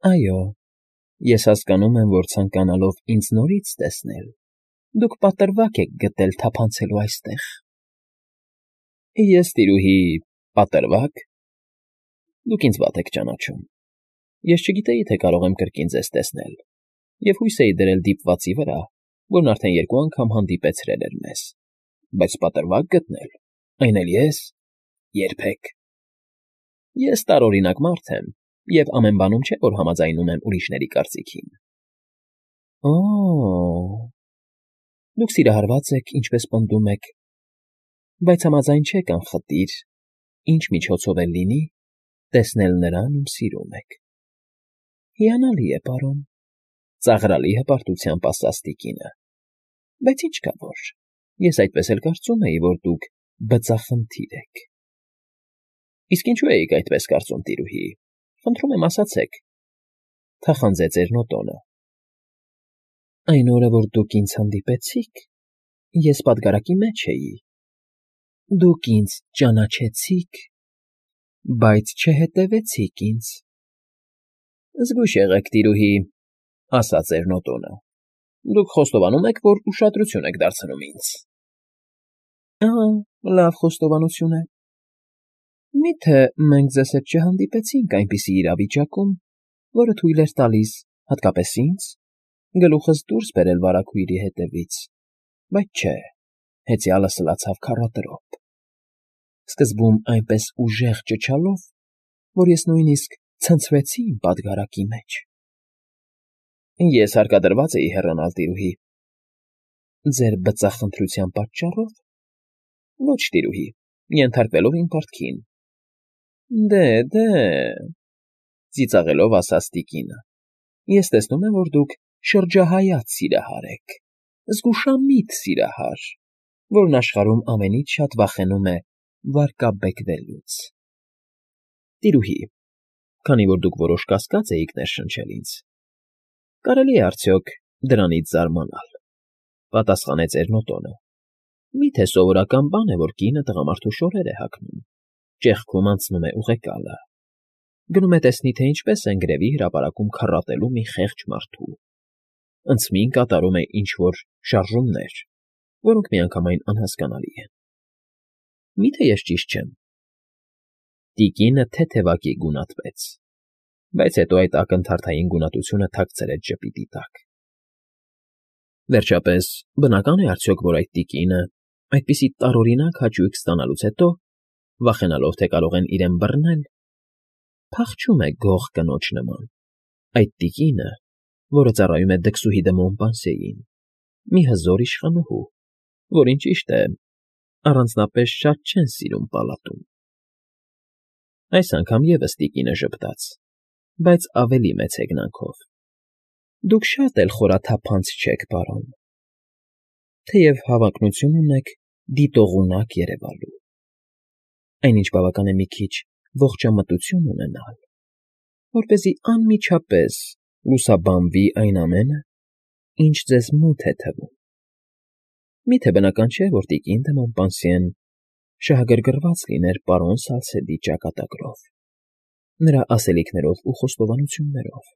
Այո, ես հասկանում եմ, որ ցանկանալով ինձ նորից տեսնել, դուք պատրվակ եք գտել թափանցելու այստեղ։ Ես, տիրուհի, պատրվա՞կ։ Դուք ինձ վատ եք ճանաչում։ Ես չգիտեի, թե կարող եմ կրկին ձեզ տեսնել, և հույս էի դրել դիպվածի վրա, որն արդեն 2 անգամ հանդիպեցրել էր մեզ, բայց պատրվակ գտնել, այն էլ ես՝ երբեք։ Ես տարօրինակ մարդ եմ, և ամեն բանում չէ, որ համաձայնում եմ ուրիշների կարծիքին։ Օ՜օ… Դուք սիրահարված եք, ինչպես պնդում եք, բայց համաձայն չեք անխտիր, ինչ միջոցով էլ լինի, տեսնել նրան, ում սիրում եք։ Հիանալի է, պարոն, ծաղրալի հպարտությամբ ասաց տիկինը, բայց ինչ կա որ, ես այդպես էլ կարծում էի, որ դուք բծախնդիր եք։ Իսկ ինչու էիք այդպես կարծում, տիրուհի, խնդրում եմ ասացեք, թախանձեց Էրնոտոնը։ Այն օրը, որ դուք ինձ հանդիպեցիք, ես պատգարակի մեջ էի։ Դուք ինձ ճանաչեցիք, բայց չհետևեցիք ինձ։ Զգույշ եղեք, տիրուհի, ասաց Էրնոտոնը, դուք խոստովանում եք, որ ուշադրություն եք դարձնում ինձ։ Ահա, լավ խոստովանություն է։ Մի՞թե մենք ձեզ հետ չհանդիպեցինք այնպիսի իրավիճակում, որը թույլ էր տալիս, հատկապես ինձ, գլուխս դուրս բերել վարագույրի հետևից, բայց չէ, հեծյալը սլացավ քառատրոփ, սկզբում այնպես ուժեղ ճչալով, որ ես նույնիսկ ցնցվեցի իմ պատգարակի մեջ։ Ես հարկադրված էի հեռանալ, տիրուհի։ Ձեր բծախնդրության պատճառո՞վ։ Ոչ, տիրուհի, ենթարկվելով իմ պարտքին։ Դե, ծիծաղելով ասաց տիկինը, ես տեսնում եմ, որ դուք շրջահայաց սիրահար եք, զգուշամիտ սիրահար, որն աշխարհում ամենից շատ վախենում է վարկաբեկվելուց։ Տիրուհի, քանի որ դուք որոշ կասկած էիք ներշնչել ինձ, կարելի է արդյոք դրանից զարմանալ, պատասխանեց Էրնոտոնը։ Մի՞թե սովորական բան է, որ կինը տղամարդու շորեր է հագնում, ճեղքում անցնում է ուղեկալը, գնում է տեսնի, թե ինչպես են գրևի հրապարակում քառատելու մի խեղճ մարդու, ընծմին կատարում է ինչ֊որ շարժումներ, որոնք միանգամայն անհասկանալի են։ Մի՞թե ես ճիշտ չեմ։ Տիկինը թեթևակի գունատվեց, բայց հետո այդ ակնթարթային գունատությունը թաքցրեց ժպիտի տակ։ Վերջապես, բնական է արդյոք, որ այդ տիկինը, այդպիսի տարօրինակ հաճույք ստանալուց հետո, վախենալով, թե կարող են իրեն բռնել, փախչում է գող կնոջ նման, այդ տիկինը, որը ծառայում է դքսուհի դե Մոնպանսիեին, մի հզոր իշխանուհու, որին, ճիշտ է, առանձնապես շատ չեն սիրում պալատում։ Այս անգամ ևս տիկինը ժպտաց, բայց ավելի մեծ հեգնանքով։ Դուք շատ էլ խորաթափանց չեք, պարոն, թեև հավակնություն ունեք դիտողունակ երևալու, այնինչ բավական է մի քիչ ողջամտություն ունենալ, որպեսզի անմիջապես լուսաբանվի այն ամենը, ինչ ձեզ մութ է թվում։ Միթե բնական չէ, որ տիկին դե Մոնպանսիեն շահագրգռված լիներ պարոն Սալսեդի ճակատագրով, նրա ասելիքներով ու խոստովանություններով,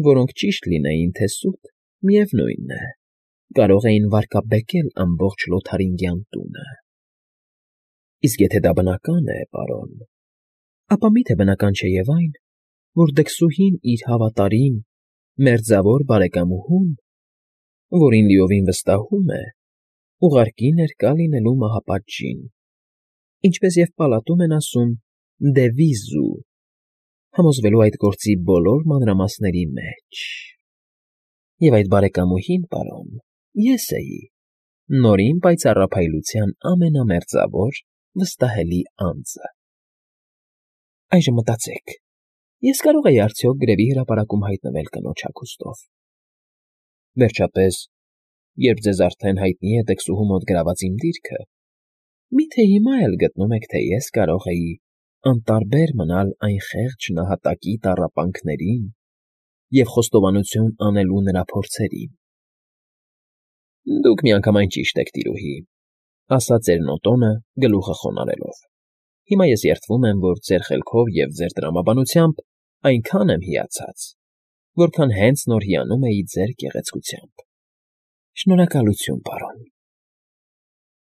որոնք ճիշտ լինեին, թե սուտ, միևնույն է, կարող էին վարկաբեկել ամբողջ Լոթարինգյան տունը։ Իսկ եթե դա բնական է, պարոն, ապա միթե բնական չէ և այն, որ դքսուհին իր հավատարիմ, մերձավոր բարեկամուհուն, որին լիովին վստահում է, ուղարկի ներկա լինելու մահապատժին, ինչպես և պալատում են ասում «դե վիզու», համոզվելու այդ գործի բոլոր մանրամասների մեջ։ Եվ այդ բարեկամուհին, պարոն, ես էի, Նորին պայծառափայլության ամենամերձավոր, վստահելի անձը։ Այժմ մտածեք, ես կարող էի արդյոք գրևի հրապարակում հայտնվել կնոջ հագուստով։ Վերջապես, երբ ձեզ արդեն հայտնի է դքսուհու մոտ գրաված իմ դիրքը, մի՞թե հիմա էլ գտնում եք, թե ես կարող էի անտարբեր մնալ այն խեղճ նահատակի տառապանքներին և խոստովանություն անելու նրա փորձերին։ Դուք միանգամայն ճիշտ եք, տիրուհի, ասաց Էրնոտոնը, գլուխը խոնարհելով։ Հիմա ես երդվում եմ, որ ձեր խելքով և ձեր տրամաբանությամբ այնքան եմ հիացած, որքան հենց նոր հիանում էի ձեր գեղեցկությամբ։ Շնորհակալություն, պարոն։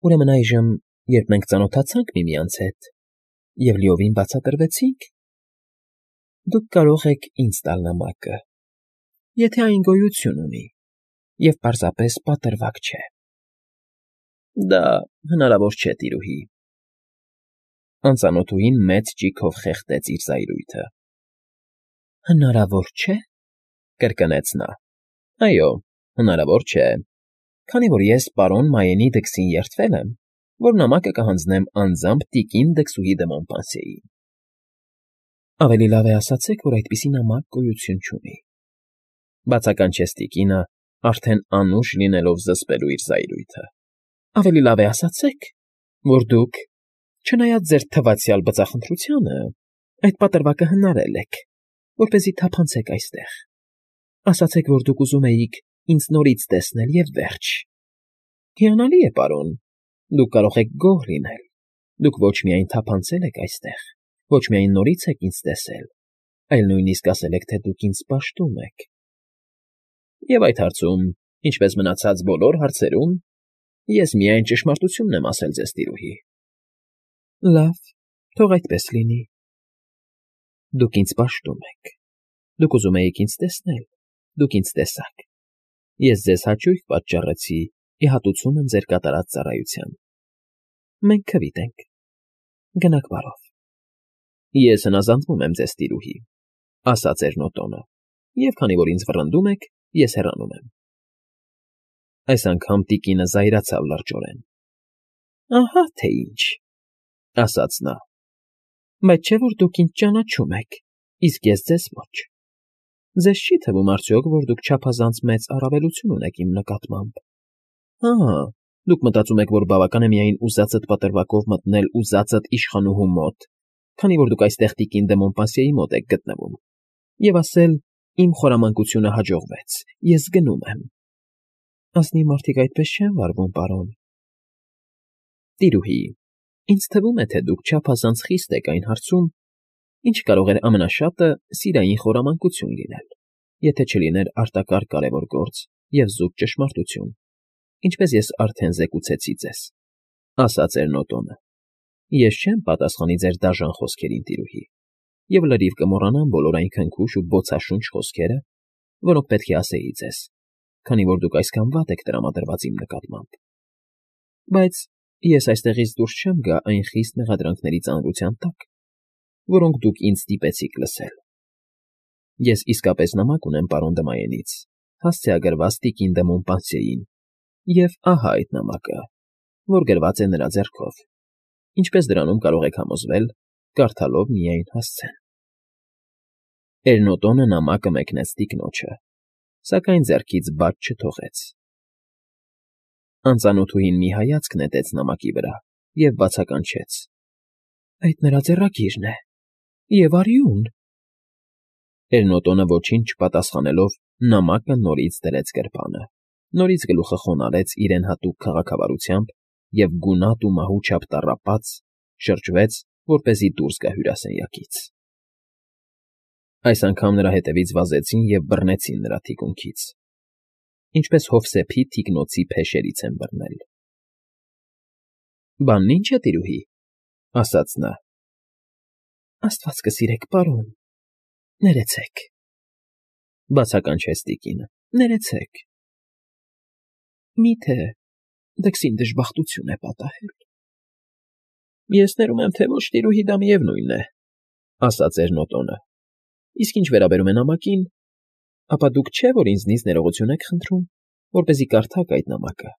Ուրեմն այժմ, երբ մենք ծանոթացանք միմյանց հետ և լիովին բացատրվեցինք, դուք կարող եք ինձ տալ նամակը, եթե այն գոյություն ունի և պարզապես պատրվակ չէ։ Դա հնարավոր չէ, տիրուհի։ Անծանոթուհին մեծ ճիգով խեղդեց իր զայրույթը։ Հնարավոր չէ, կրկնեց նա։ Այո, հնարավոր չէ, քանի որ ես պարոն Մայենի դքսին երդվել եմ, որ նամակը կհանձնեմ անձամբ տիկին դքսուհի դը Մոնպանսիեին։ Ավելի լավ է ասացեք, որ այդպիսի նամակ գոյություն չունի, բացականչեց տիկինը, արդեն անուշ լինելով զսպելու իր զայրույթը։ Ավելի լավ է ասացեք, որ դուք, չնայած ձեր թվացյալ բծախնդրությանը, այդ պատրվակը հնարել եք, որպեսզի թափանցեք այստեղ։ Ասացեք, որ դուք ուզում էիք ինձ նորից տեսնել և վերջ։ Հիանալի է, պարոն, դուք կարող եք գոհ լինել։ Դուք ոչ միայն թափանցել եք այստեղ, ոչ միայն նորից եք ինձ տեսել, այլ նույնիսկ ասել եք, թե դուք ինձ պաշտում եք։ Եվ այդ հարցում, ինչպես մնացած բոլոր հարցերում, ես միայն ճշմարտությունն եմ ասել ձեզ, տիրուհի։ Լավ, թող այդպես լինի։ Դուք ինձ պաշտում եք։ Դուք ուզում էիք ինձ տեսնել, դուք ինձ տեսաք։ Ես ձեզ հաճույք պատճառեցի ի հատուցում եմ ձեր կատարած ծառայության։ Մենք քվիտ ենք։ Գնաք բարով։ Ես հնազանդվում եմ ձեզ, տիրուհի, ասաց Էրնոտոնը, և քանի որ ինձ վռնդում եք, ես հեռանում եմ։ Այս անգամ տիկինը զայրացավ լրջորեն։ Ահա թե ինչ, ասաց նա, բայց չէ՞ որ դուք ինձ ճանաչում եք, իսկ ես ձեզ ոչ։ Ձեզ չի՞ թվում արդյոք, որ դուք չափազանց մեծ առավելություն ունեք իմ նկատմամբ։ Հա, դուք մտածում եք, որ բավական է միայն ուզածդ պատրվակով մտնել ուզածդ իշխանուհու մոտ, քանի որ դուք այստեղ տիկին դե Մոնպանսիեի մոտ եք գտնվում, և ասել. «Իմ խորամանկությունը հաջողվեց, ես գնում եմ»։ Ազնիվ մարդիկ այդպես չեն վարվում, պարոն։ Տիրուհի, ինձ թվում է, թե դուք չափազանց խիստ եք այն հարցում, ինչը կարող էր ամենաշատը սիրային խորամանկություն լինել, եթե չլիներ արտակարգ կարևոր գործ և զուտ ճշմարտություն, ինչպես ես արդեն զեկուցեցի ձեզ, ասաց Էրնոտոնը։ Ես չեմ պատասխանի ձեր դաժան խոսքերին, տիրուհի, և լրիվ կմոռանամ բոլոր այն քնքուշ ու բոցաշունչ խոսքերը, որոնք պետք է ասեի ձեզ, քանի որ դուք այսքան վատ եք տրամադրված իմ նկատմամբ։ Բայց ես այստեղից դուրս չեմ գա այն խիստ մեղադրանքների ծանրության տակ, որոնք դուք ինձ ստիպեցիք լսել։ Ես իսկապես նամակ ունեմ պարոն Դմայենից, հասցեագրված տիկին դե Մոնպանսիեին, և ահա այդ նամակը, որ գրված է նրա ձեռքով, ինչպես դրանում կարող եք համոզվել, կարդալով միայն հասցեն։ Էրնոտոնը նամակը մեկնեց տիկնոջը, սակայն ձեռքից բաց չթողեց։ Անծանոթուհին մի հայացք նետեց նամակի վրա և բացականչեց. Այդ նրա ձեռագիրն է, և արյուն։ Էրնոտոնը ոչինչ չպատասխանելով նամակը նորից դրեց գրպանը, նորից գլուխը խոնարհեց իրեն հատուկ քաղաքավարությամբ և գունատ ու մահու չափ տառապած շրջվեց, որպեսզի դուրս գա հյուրասենյակից։ Այս անգամ նրա հետևից վազեցին և բռնեցին նրա թիկունքից, ինչպես հովսեփի թիկնոցի փեշերից են բռնել։ Բանն ի՞նչ է, տիրուհի, ասաց նա։ Աստված կսիրեք, պարոն, ներեցեք, բացականչեց տիկինը, ներեցեք։ Մի՞թե դքսին դժբախտություն է պատահել։ Ես ներում եմ, թե ոչ, տիրուհի, դա միևնույն է, ասաց Էրնոտոնը։ Իսկ ինչ վերաբերում է նամակին, ապա դուք չէ, որ ինձնից ներողություն եք խնդրում, որպեսզի կարդաք այդ նամակը,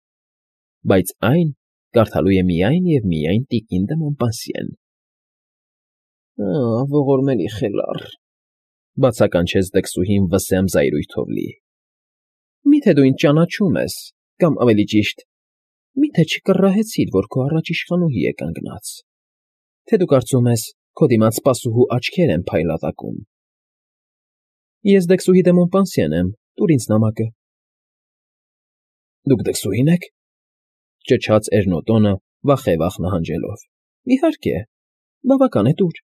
բայց այն կարդալու է միայն և միայն տիկին դե Մոնպանսիեն։ Ողորմելի խելառ, բացականչեց դքսուհին վսեմ զայրույթով լի։ Մի՞թե դու ինձ ճանաչում ես, կամ ավելի ճիշտ, մի՞թե չկռահեցիր, որ քո առաջ իշխանուհի է կանգնած, թե դու կարծում ես, քո դիմաց սպասուհու աչքեր են փայլատակում։ Ես դքսուհի դե Մոնպանսիեն եմ, տուր ինձ նամակը։ Դուք դքսուհի՞ն եք, ճչաց Էրնոտոնը վախևախ նահանջելով։ Իհարկե, բավական է, տուր։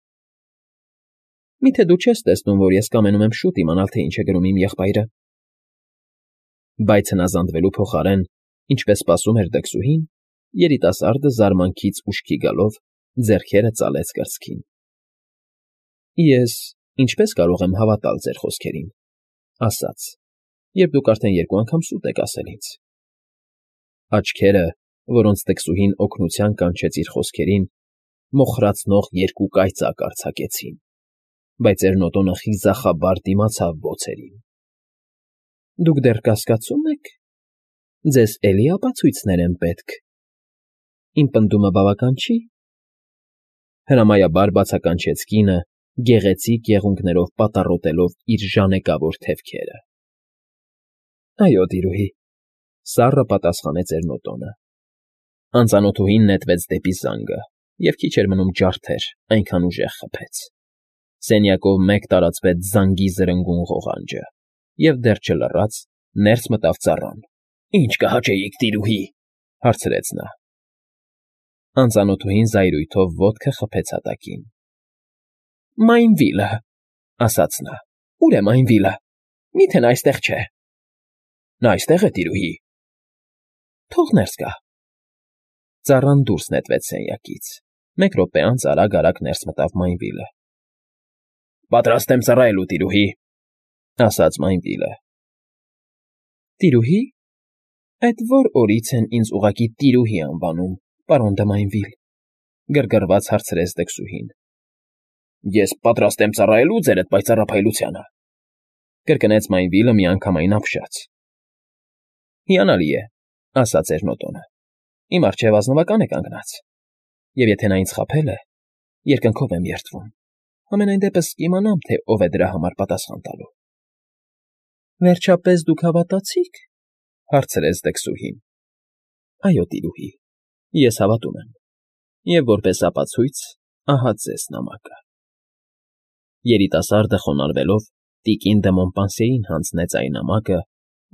Միթե դու չես տեսնում, որ ես կամենում եմ շուտ իմանալ, թե ինչ է գրում իմ եղբայրը… Բայց հնազանդվելու փոխարեն, ինչպես սպասում էր դքսուհին, երիտասարդը զարմանքից ուշքի գալով ձեռքերը ծալեց կրծքին։ Ես ինչպես կարող եմ հավատալ ձեր խոսքերին, ասաց, երբ դուք արդեն 2 անգամ սուտ եք ասել ինձ… Աչքերը, որոնց դքսուհին օգնության կանչեց իր խոսքերին, մոխրացնող 2 կայծակ արձակեցին, բայց Էրնոտոնը խիզախաբար դիմացավ բոցերին։ Դուք դեռ կասկածո՞ւմ եք… Ձեզ էլի ապացույցներ են պետք… Իմ պնդումը բավական չի… Հրամայաբար բացականչեց կինը, գեղեցիկ եղունգներով պատառոտելով իր ժանեկավոր թևքերը։ Այո, տիրուհի, սառը պատասխանեց Էրնոտոնը։ Անծանոթուհին նետվեց դեպի զանգը և քիչ էր մնում ջարդեր, այնքան ուժեղ խփեց։ Սենյակով մեկ տարածվեց զանգի զրնգուն ղողանջը, և դեռ չլռած ներս մտավ ծառան։ Ինչ կհաճեիք, տիրուհի… հարցրեց նա։ Անծանոթուհին զայրույթով ոտքը խփեց հատակին։ Մայնվիլը, ասաց նա։ Ո՞ւր է Մայնվիլը… Միթե նա այստեղ չէ… Նա այստեղ է, տիրուհի… Թող ներս գա… Ծառան դուրս նետվեց սենյակից։ 1 րոպե անց արագ֊արագ ներս մտավ Մայնվիլը։ Պատրաստ եմ ծառայելու, տիրուհի… ասաց Մայնվիլը։ Տիրուհի… Այդ ո՞ր օրից են ինձ ուղղակի տիրուհի անվանում, պարոն դը Մայնվիլ… գրգռված հարցրեց դքսուհին։ Ես պատրաստ եմ ծառայելու ձերդ պայծառափայլությանը… կրկնեց Մայնվիլը միանգամայն ապշած։ Հիանալի է, ասաց Էրնոտոնը։ Իմ առջև ազնվական է կանգնած, և եթե նա ինձ խաբել է, երկնքով եմ երդվում… Համենայն դեպս կիմանամ, թե ով է դրա համար պատասխան տալու։ Վերջապես դուք հավատացի՞ք… հարցրեց դքսուհին։ Այո, տիրուհի, ես հավատում եմ, և որպես ապացույց ահա ձեզ նամակը… Երիտասարդը խոնարհվելով տիկին դը Մոմպանսիեին հանձնեց այն նամակը,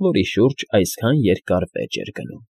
որի շուրջ այսքան երկար վեճ էր գնում։